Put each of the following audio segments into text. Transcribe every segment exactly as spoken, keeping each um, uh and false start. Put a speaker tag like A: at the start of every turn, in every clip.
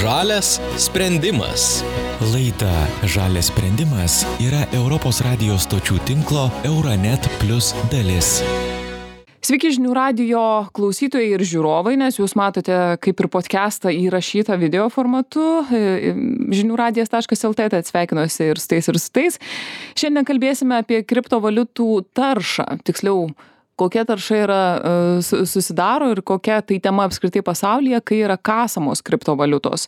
A: Žalias sprendimas.
B: Laida Žalias sprendimas yra Europos radijo stočių tinklo Euranet Plus dalis.
C: Sveiki žinių radijo klausytojai ir žiūrovai, nes jūs matote kaip ir podcastą įrašytą video formatu žinių radijas taškas el tė, tai sveikinuosi ir su tais ir su tais. Šiandien kalbėsime apie kriptovaliutų taršą, tiksliau, kokia tarša yra susidaro ir kokia tai tema apskritai pasaulyje, kai yra kasamos kriptovaliutos.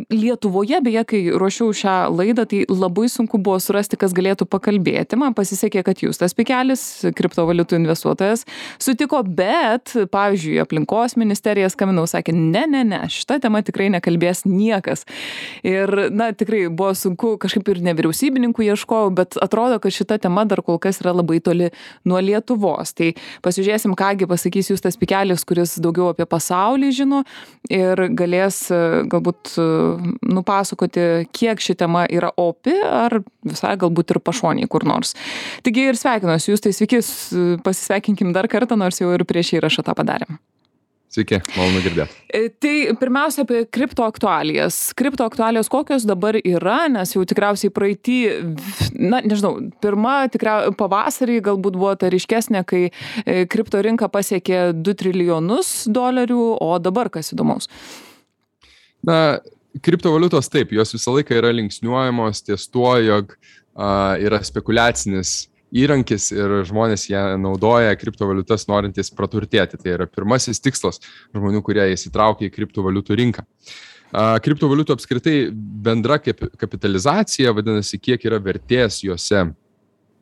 C: Lietuvoje, beje, kai ruošiau šią laidą, tai labai sunku buvo surasti, kas galėtų pakalbėti. Man pasisekė, kad Justas Pikelis, kriptovaliutų investuotojas, sutiko, bet, pavyzdžiui, aplinkos ministerija skambinau, sakė, ne, ne, ne, šitą temą tikrai nekalbės niekas. Ir, na, tikrai buvo sunku, kažkaip ir nevyriausybininkų ieškojau, bet atrodo, kad šita tema dar kol kas yra labai toli nuo Lietuvos. Tai pasižiūrėsim, kągi pasakys Justas Pikelis, kuris daugiau apie pasaulį žino ir galės galbūt nupasakoti, kiek ši tema yra opi ar visai galbūt ir pašoniai kur nors. Taigi ir sveikinuosi, Justai, sveiki, pasisveikinkim dar kartą, nors jau ir prieš įrašą tą padarėm.
D: Sveiki, malonu girdėti.
C: Tai pirmiausia apie kripto aktualijas. Kripto aktualijos kokios dabar yra, nes jau tikriausiai praeitį, na, nežinau, pirma tikriausiai pavasarį galbūt buvo ta ryškesnė, kai kripto rinka pasiekė du trilijonus dolerių, o dabar kas įdomaus?
D: Na, kriptovaliutos taip, jos visą laiką yra linksniuojamos ties tuo, jog a, yra spekuliacinis įrankis ir žmonės ją naudoja kriptovaliutas norintys praturtėti. Tai yra pirmasis tikslas žmonių, kurie įsitraukia į kriptovaliutų rinką. Kriptovaliutų apskritai bendra kapitalizacija, vadinasi, kiek yra vertės juose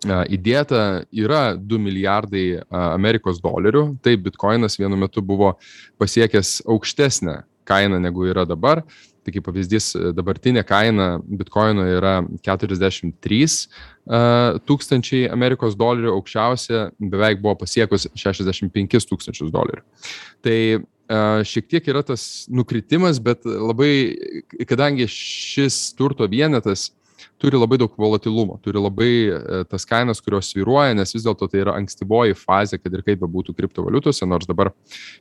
D: įdėta, yra du milijardai Amerikos dolerių. Tai bitkoinas vienu metu buvo pasiekęs aukštesnę kainą negu yra dabar. Tai kaip pavyzdys, dabartinė kaina bitkoino yra keturiasdešimt trys tūkstančiai Amerikos dolerių, aukščiausia beveik buvo pasiekus šešiasdešimt penkis tūkstančius dolerių. Tai šiek tiek yra tas nukritimas, bet labai, kadangi šis turto vienetas turi labai daug volatilumo, turi labai tas kainas, kurios svyruoja, nes vis dėlto tai yra ankstyvoji fazė, kad ir kaip bebūtų kriptovaliutose, nors dabar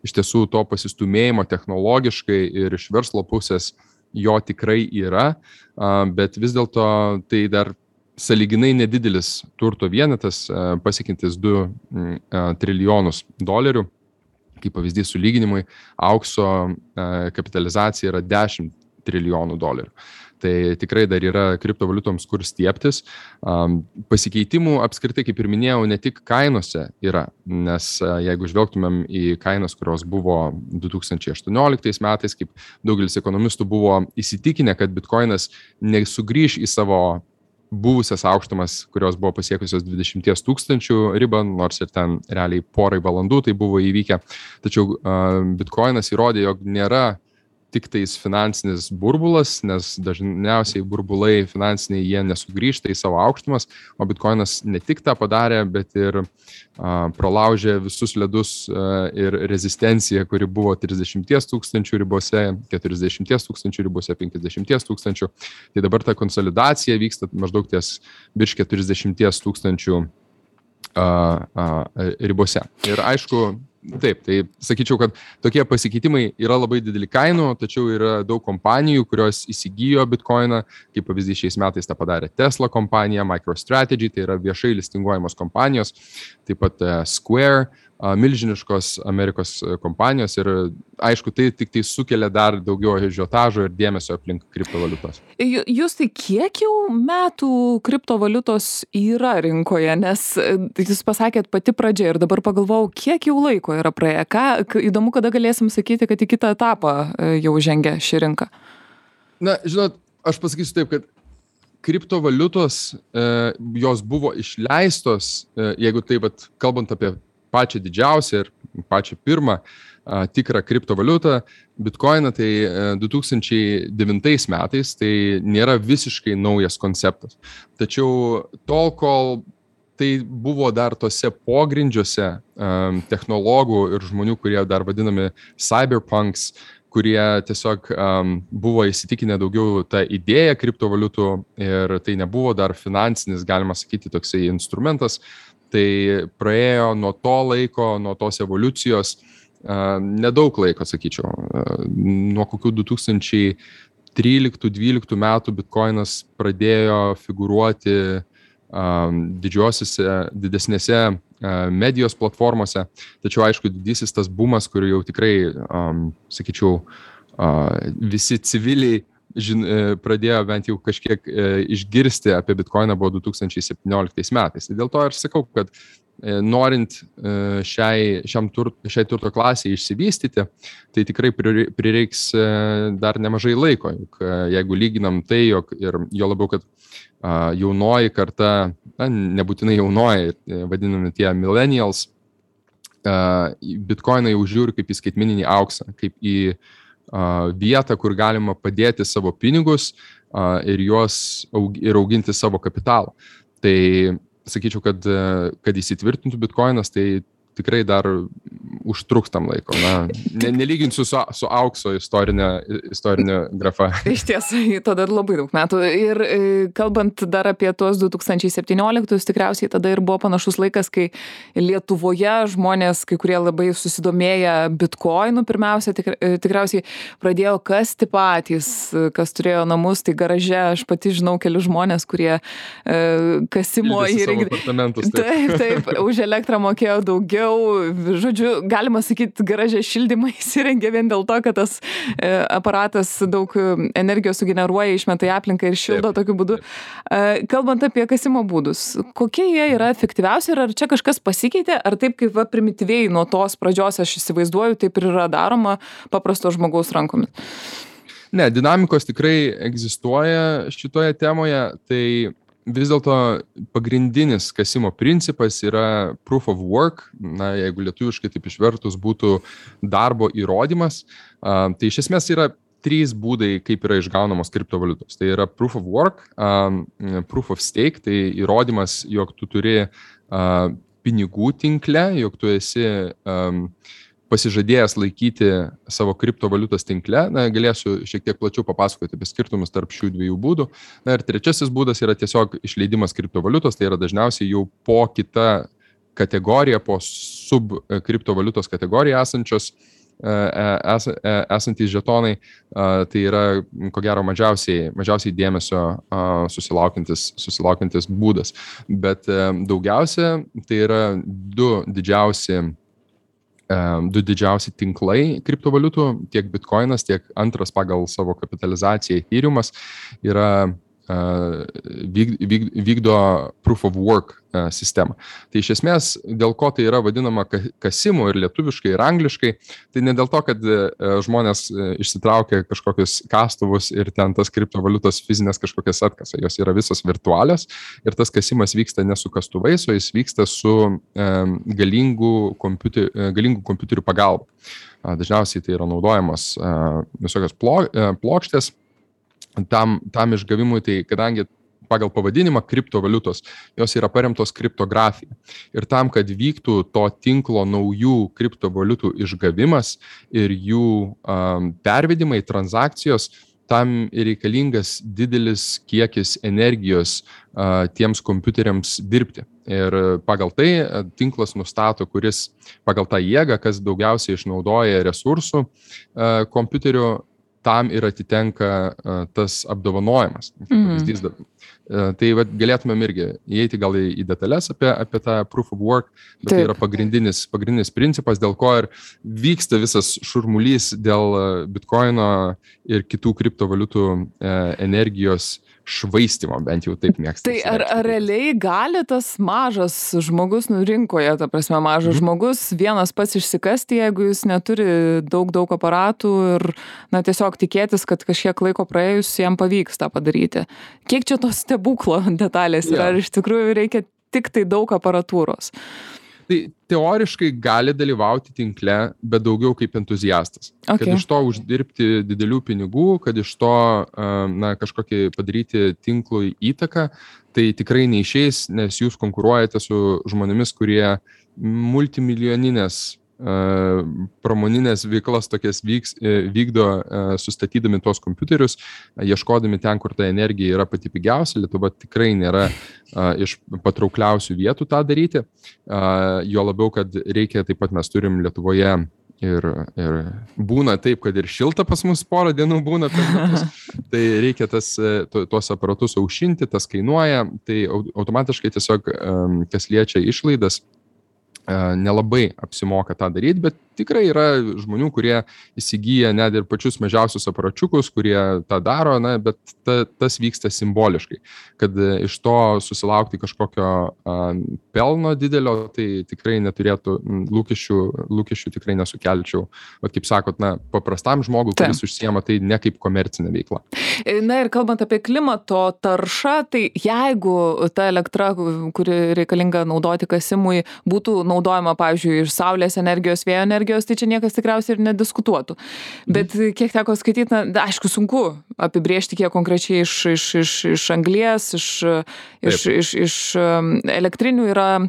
D: iš tiesų to pasistumėjimo technologiškai ir iš verslo pusės jo tikrai yra, bet vis dėlto tai dar sąlyginai nedidelis turto vienetas, pasiekintis du trilijonus dolerių. Kaip pavyzdys sulyginimui, aukso kapitalizacija yra dešimt trilijonų dolerių. Tai tikrai dar yra kriptovaliutoms kur stiebtis. Pasikeitimų apskritai, kaip ir minėjau, ne tik kainose yra, nes jeigu žvelgtumėm į kainas, kurios buvo du tūkstančiai aštuonioliktais metais, kaip daugelis ekonomistų buvo įsitikinę, kad bitkoinas nesugrįš į savo buvusias aukštumas, kurios buvo pasiekusios dvidešimt tūkstančių ribą, nors ir ten realiai porai valandų tai buvo įvykę. Tačiau bitkoinas įrodė, jog nėra tik tais finansinis burbulas, nes dažniausiai burbulai finansiniai jie nesugrįžta į savo aukštumas, o bitkoinas ne tik tą padarė, bet ir a, pralaužė visus ledus a, ir rezistenciją, kuri buvo trisdešimt tūkstančių ribose, keturiasdešimt tūkstančių ribose, penkiasdešimt tūkstančių. Tai dabar ta konsolidacija vyksta maždaug ties virš keturiasdešimt tūkstančių a, a, ribose. Ir aišku, taip, tai sakyčiau, kad tokie pasikeitimai yra labai dideli kainų, tačiau yra daug kompanijų, kurios įsigijo bitkoiną, kaip pavyzdys šiais metais tą padarė Tesla kompanija, MicroStrategy, tai yra viešai listinguojamos kompanijos, taip pat Square, milžiniškos Amerikos kompanijos ir aišku, tai tik tai sukelia dar daugiau ažiotažo ir dėmesio aplink kriptovaliutos.
C: Jūs tai kiek jau metų kriptovaliutos yra rinkoje, nes jūs pasakėt pati pradžia ir dabar pagalvojau, kiek jau laiko yra praėję. Ką, įdomu, kada galėsim sakyti, kad į kitą etapą jau žengia ši rinka.
D: Na, žinot, aš pasakysiu taip, kad kriptovaliutos, e, jos buvo išleistos, e, jeigu taip, bet kalbant apie pačią didžiausią ir pačią pirmą a, tikrą kriptovaliutą, bitkoiną, tai a, du tūkstančiai devintais metais, tai nėra visiškai naujas konceptas. Tačiau tol, kol tai buvo dar tose pogrindžiuose um, technologų ir žmonių, kurie dar vadinami cyberpunks, kurie tiesiog um, buvo įsitikinę daugiau tą idėją kriptovaliutų ir tai nebuvo dar finansinis, galima sakyti, toksai instrumentas. Tai praėjo nuo to laiko, nuo tos evoliucijos nedaug laiko, sakyčiau. Nuo kokių du tūkstančiai tryliktų dvyliktų metų Bitcoinas pradėjo figūruoti didžiosiuose, didesnėse medijos platformose. Tačiau, aišku, didysis tas bumas, kur jau tikrai, sakyčiau, visi civiliai žin, pradėjo bent jau kažkiek išgirsti apie Bitcoiną buvo du tūkstančiai septynioliktais metais. Dėl to aš sakau, kad norint šiai, šiam tur, šiai turto klasiai išsivystyti, tai tikrai prireiks dar nemažai laiko. Juk jeigu lyginam tai, jog ir jo labiau, kad jaunoji karta, na, nebūtinai jaunoji, vadinami tie millennials, Bitcoiną jau žiūri kaip į skaitmeninį auksą, kaip į vietą, kur galima padėti savo pinigus ir juos aug, ir auginti savo kapitalą. Tai sakyčiau, kad, kad įsitvirtintų Bitcoinas, tai tikrai dar užtruks tam laiko. Na, ne, nelyginsiu su, su aukso istorinė, istorinė grafa.
C: Iš tiesų, tada labai daug metų. Ir kalbant dar apie tuos du tūkstančiai septynioliktus, tikriausiai tada ir buvo panašus laikas, kai Lietuvoje žmonės, kai kurie labai susidomėję Bitcoinu, pirmiausia, tik, tikriausiai pradėjo kasti patys, kas turėjo namus, tai garaže aš pati žinau kelius žmonės, kurie e, kasimo
D: įrengė.
C: Taip, taip, už elektrą mokėjo daugiau. Žodžiu, galima sakyti, garaže šildymą įsirengė vien dėl to, kad tas e, aparatas daug energijos sugeneruoja, išmeta į aplinką ir šildo taip, tokiu būdu. E, kalbant apie kasimo būdus, kokie jie yra efektyviausi ir ar čia kažkas pasikeitė, ar taip kaip va, primityviai nuo tos pradžios aš įsivaizduoju, taip ir yra daroma paprasto žmogaus rankomis?
D: Ne, dinamikos tikrai egzistuoja šitoje temoje, tai vis dėlto pagrindinis kasimo principas yra proof of work, na, jeigu lietuviškai taip išvertus būtų darbo įrodymas, uh, tai iš esmės yra trys būdai, kaip yra išgaunamos kriptovaliutos. Tai yra proof of work, um, proof of stake, tai įrodymas, jog tu turi uh, pinigų tinkle, jog tu esi um, pasižadėjęs laikyti savo kriptovaliutos tinkle. Na, galėsiu šiek tiek plačiau papasakoti apie skirtumus tarp šių dviejų būdų. Na, ir trečiasis būdas yra tiesiog išleidimas kriptovaliutos, tai yra dažniausiai jau po kita kategorija, po sub kriptovaliutos kategorija esančios, es, esantys žetonai, tai yra, ko gero, mažiausiai, mažiausiai dėmesio susilaukiantis, susilaukiantis būdas. Bet daugiausia tai yra du didžiausi du didžiausi tinklai kriptovaliutų, tiek Bitcoinas, tiek antras pagal savo kapitalizaciją Ethereumas yra vykdo proof of work sistemą. Tai iš esmės, dėl ko tai yra vadinama kasimu ir lietuviškai, ir angliškai, tai ne dėl to, kad žmonės išsitraukia kažkokius kastuvus ir ten tas kriptovaliutos fizinės kažkokias atkasa. Jos yra visos virtualios ir tas kasimas vyksta ne su kastuvais, o jis vyksta su galingų kompiuterių, galingų kompiuterių pagalba. Dažniausiai tai yra naudojamos visokios plokštės. Tam, tam išgavimui, tai kadangi pagal pavadinimą kriptovaliutos, jos yra paremtos kriptografija. Ir tam, kad vyktų to tinklo naujų kriptovaliutų išgavimas ir jų um, pervedimai, transakcijos, tam reikalingas didelis kiekis energijos uh, tiems kompiuteriams dirbti. Ir pagal tai tinklas nustato, kuris pagal tą jėgą, kas daugiausiai išnaudoja resursų uh, kompiuterių, tam ir atitenka uh, tas apdovanojimas. Mm. Uh, tai vat, galėtumėm irgi įeiti gal į, į detalės apie, apie tą proof of work, bet Taip. Tai yra pagrindinis, pagrindinis principas, dėl ko ir vyksta visas šurmulys dėl Bitcoino ir kitų kriptovaliutų uh, energijos švaistimo, bent jau taip mėgsta.
C: Tai ar, ar realiai gali tas mažas žmogus, nu rinkoje, ta prasme mažas mm. žmogus, vienas pats išsikasti, jeigu jis neturi daug, daug aparatų ir na, tiesiog tikėtis, kad kažkiek laiko praėjus jam pavyks tą padaryti. Kiek čia tos stebuklo detalės yra, yeah. ar iš tikrųjų reikia tik tai daug aparatūros?
D: Tai teoriškai gali dalyvauti tinkle, bet daugiau kaip entuziastas. Okay. Kad iš to uždirbti didelių pinigų, kad iš to na, kažkokį padaryti tinklui įtaką, tai tikrai neišeis, nes jūs konkuruojate su žmonėmis, kurie multimilijoninės pramoninės veiklas tokias vyks, vykdo sustatydami tuos kompiuterius, ieškodami ten, kur ta energija yra pati pigiausia. Lietuva tikrai nėra iš patraukliausių vietų tą daryti. Jo labiau, kad reikia, taip pat mes turim Lietuvoje ir, ir būna taip, kad ir šilta pas mus porą dienų būna per metus. Tai reikia tas, tuos aparatus aušinti, tas kainuoja. Tai automatiškai tiesiog, kas liečia išlaidas, nelabai apsimoka tą daryti, bet tikrai yra žmonių, kurie įsigyja net ir pačius mažiausius aparačiukus, kurie tą daro, na, bet ta, tas vyksta simboliškai. Kad iš to susilaukti kažkokio a, pelno didelio, tai tikrai neturėtų lūkesčių, lūkesčių tikrai nesukelčiau. O kaip sakot, na, paprastam žmogui, kuris užsiema, tai ne kaip komercinė veikla.
C: Na ir kalbant apie klimato taršą, tai jeigu ta elektra, kuri reikalinga naudoti kasimui, būtų naudojama, pavyzdžiui, iš saulės energijos, vėjo energijos, tai čia niekas tikriausiai ir nediskutuotų. Bet kiek teko skaityti, na, aišku, sunku apibrėžti, kiek konkrečiai iš, iš, iš, iš anglies, iš, iš, iš, iš elektrinių yra e,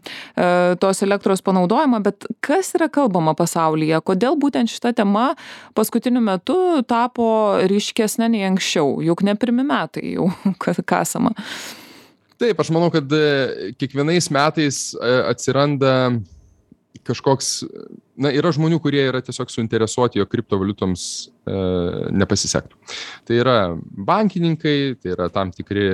C: tos elektros panaudojama, bet kas yra kalbama pasaulyje? Kodėl būtent šita tema paskutiniu metu tapo ryškesnė nei anksčiau? Juk ne pirmi metai jau kasama.
D: Taip, aš manau, kad kiekvienais metais atsiranda kažkoks, na, yra žmonių, kurie yra tiesiog suinteresuoti, jog kriptovaliutoms e, nepasisektų. Tai yra bankininkai, tai yra tam tikri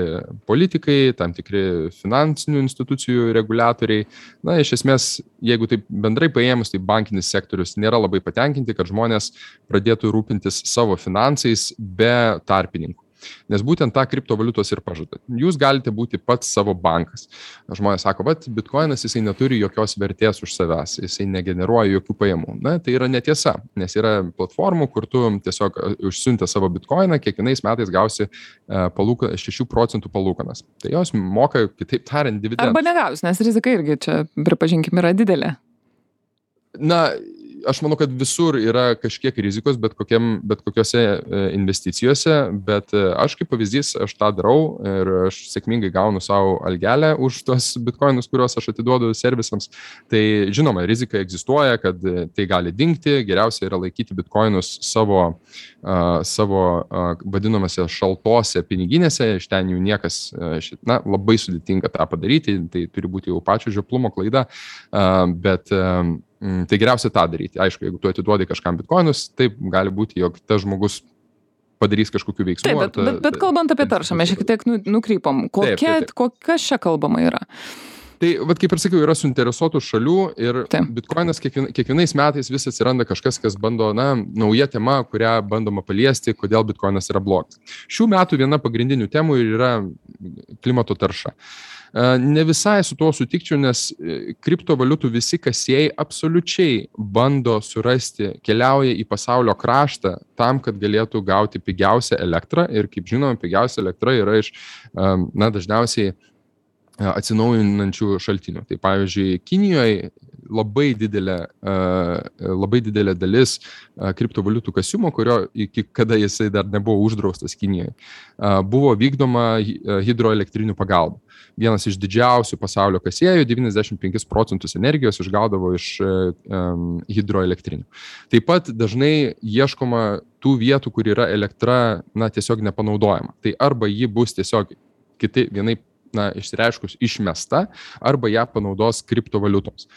D: politikai, tam tikri finansinių institucijų reguliatoriai. Na, iš esmės, jeigu taip bendrai paėmus, tai bankinis sektorius nėra labai patenkinti, kad žmonės pradėtų rūpintis savo finansais be tarpininkų. Nes būtent tą kriptovaliutos ir pažada. Jūs galite būti pats savo bankas. Žmonės sako, bet bitkoinas jisai neturi jokios vertės už savęs, jisai negeneruoja jokių pajamų. Na, tai yra netiesa, nes yra platformų, kur tu tiesiog užsiuntę savo bitkoiną, kiekvienais metais gausi palūka, šešių procentų palūkanas. Tai jos moka, kitaip tariant, dividendus.
C: Arba negaus, nes rizika irgi čia, pripažinkim, yra didelė.
D: Na, aš manau, kad visur yra kažkiek rizikos, bet, kokiam, bet kokiose investicijose, bet aš kaip pavyzdys, aš tą darau ir aš sėkmingai gaunu savo algelę už tuos bitkoinus, kuriuos aš atiduodu servisams. Tai žinoma, rizika egzistuoja, kad tai gali dingti, geriausia yra laikyti bitkoinus savo, uh, savo uh, vadinamose šaltose piniginėse, iš ten jų niekas, uh, na, labai sudėtinga tą padaryti, tai turi būti jau pačio žioplumo klaida, uh, bet uh, tai geriausia tą daryti. Aišku, jeigu tu atiduodi kažkam bitkoinus, taip gali būti, jog tas žmogus padarys kažkokių veiksmų.
C: Taip, bet, ta, bet, bet kalbant apie taršą, mes šiek tiek nukrypom. Kokia, taip, taip, taip. Kokias čia kalbama yra?
D: Tai, vat, kaip ir sakiau, yra suinteresuotų šalių ir taip. Bitkoinas kiekvien, kiekvienais metais vis atsiranda kažkas, kas bando, na, nauja tema, kurią bandoma paliesti, kodėl bitkoinas yra blogas. Šių metų viena pagrindinių temų yra klimato tarša. Ne visai su tuo sutikčiau, nes kriptovaliutų visi kasėjai absoliučiai bando surasti, keliauja į pasaulio kraštą tam, kad galėtų gauti pigiausią elektrą ir, kaip žinoma, pigiausia elektra yra iš, na, dažniausiai atsinaujinančių šaltinių. Tai pavyzdžiui, Kinijoje labai didelė, labai didelė dalis kriptovaliutų kasimo, kurio iki kada jisai dar nebuvo uždraustas Kinijoje, buvo vykdoma hidroelektrinių pagalba. Vienas iš didžiausių pasaulio kasėjų, devyniasdešimt penkis procentus energijos išgaudavo iš um, hidroelektrinių. Taip pat dažnai ieškoma tų vietų, kur yra elektra, na, tiesiog nepanaudojama. Tai arba ji bus tiesiog kiti vienai, na, išsireiškus išmesta, arba ją panaudos kriptovaliutoms.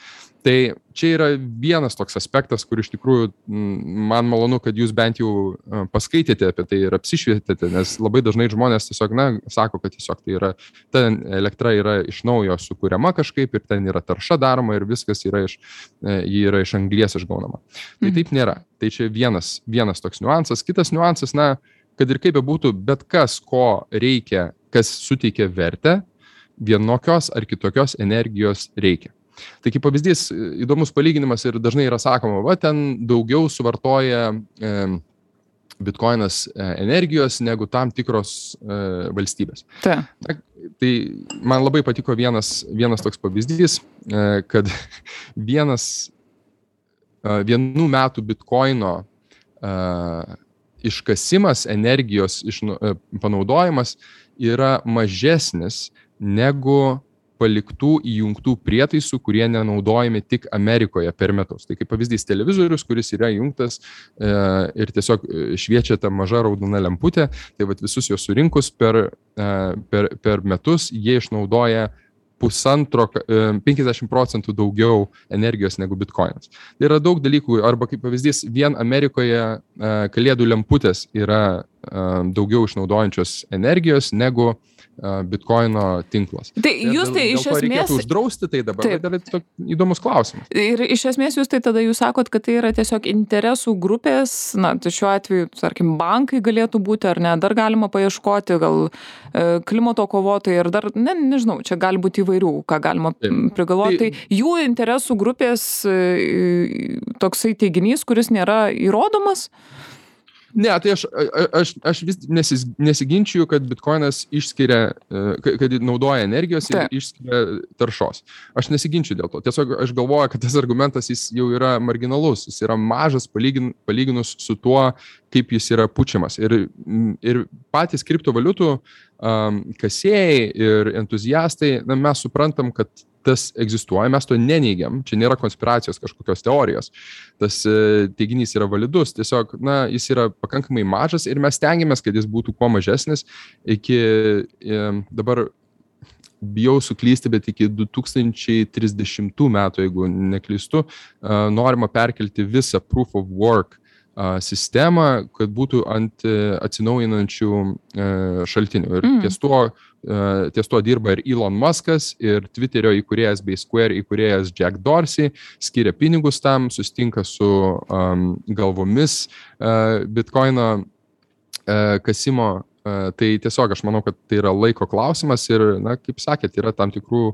D: Tai čia yra vienas toks aspektas, kur iš tikrųjų man malonu, kad jūs bent jau paskaitėte apie tai ir apsišvietėte, nes labai dažnai žmonės tiesiog, na, sako, kad tiesiog tai yra, ta elektra yra iš naujo sukuriama kažkaip ir ten yra tarša daroma ir viskas yra iš, ji yra iš anglies išgaunama. Tai taip nėra. Tai čia vienas, vienas toks niuansas. Kitas niuansas, na, kad ir kaip bebūtų, bet kas, ko reikia, kas suteikia vertę, vienokios ar kitokios energijos reikia. Tai kaip pavyzdys, įdomus palyginimas ir dažnai yra sakoma, va, ten daugiau suvartoja e, bitkoinas energijos negu tam tikros e, valstybės.
C: Ta.
D: Na, tai man labai patiko vienas, vienas toks pavyzdys, e, kad vienas, e, vienų metų bitkoino e, iškasimas, energijos iš, e, panaudojimas yra mažesnis negu paliktų įjungtų prietaisų, kurie nenaudojami tik Amerikoje per metus. Tai kaip pavyzdys televizorius, kuris yra įjungtas e, ir tiesiog šviečia ta maža raudona lemputė, tai vat visus juos surinkus per, e, per, per metus jie išnaudoja pusantro, penkiasdešimt procentų daugiau energijos negu bitkoinas. Tai yra daug dalykų, arba kaip pavyzdys, vien Amerikoje kalėdų lemputės yra daugiau išnaudojančios energijos negu bitkoino tinklas.
C: Tai jūs tai iš esmės...
D: Reikėtų uždrausti tai dabar, bet yra tiesiog įdomus klausimas.
C: Ir iš esmės jūs tai tada jūs sakot, kad tai yra tiesiog interesų grupės, na, tai šiuo atveju, tarkim, bankai galėtų būti, ar ne, dar galima paieškoti, gal klimato kovotojai, ir dar, ne, nežinau, čia gali būti įvairių, ką galima prigalvoti. Tai, tai jų interesų grupės toksai teiginys, kuris nėra įrodomas?
D: Ne, tai aš, aš, aš vis nesis, nesiginčiu, kad bitkoinas išskiria, kad naudoja energijos ir Taip. Išskiria taršos. Aš nesiginčiu dėl to. Tiesiog aš galvoju, kad tas argumentas jis jau yra marginalus, jis yra mažas palygin, palyginus su tuo, kaip jis yra pučiamas. Ir, ir patys kriptovaliutų um, kasėjai ir entuziastai, na, mes suprantam, kad tas egzistuoja, mes to neneigiam, čia nėra konspiracijos kažkokios teorijos, tas teiginys yra validus, tiesiog, na, jis yra pakankamai mažas ir mes stengiamės, kad jis būtų kuo mažesnis iki, dabar bijau suklysti, bet iki du tūkstančiai trisdešimtų metų, jeigu neklystu, norima perkelti visą proof of work sistemą, kad būtų ant atsinaujinančių šaltinių. Ir mm. ties, tuo, ties tuo dirba ir Elon Muskas, ir Twitterio įkūrėjas bei Square įkūrėjas Jack Dorsey, skiria pinigus tam, sustinka su um, galvomis uh, bitkoino uh, kasimo. Uh, tai tiesiog aš manau, kad tai yra laiko klausimas ir, na, kaip sakėt, yra tam tikrų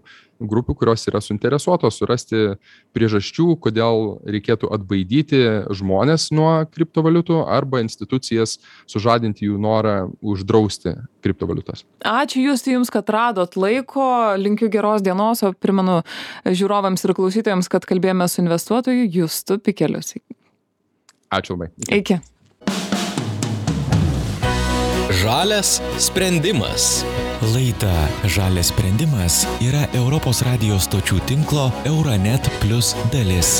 D: grupių, kurios yra suinteresuotos surasti priežasčių, kodėl reikėtų atbaidyti žmonės nuo kriptovaliutų arba institucijas sužadinti jų norą uždrausti kriptovaliutas.
C: Ačiū jūs, jums, kad radot laiko, linkiu geros dienos, o primenu žiūrovams ir klausytojams, kad kalbėjome su investuotoju Justu Pikeliu.
D: Ačiū labai.
C: Iki.
A: Žalias sprendimas.
B: Laida Žalias sprendimas yra Europos radijos stočių tinklo Euronet Plus dalis.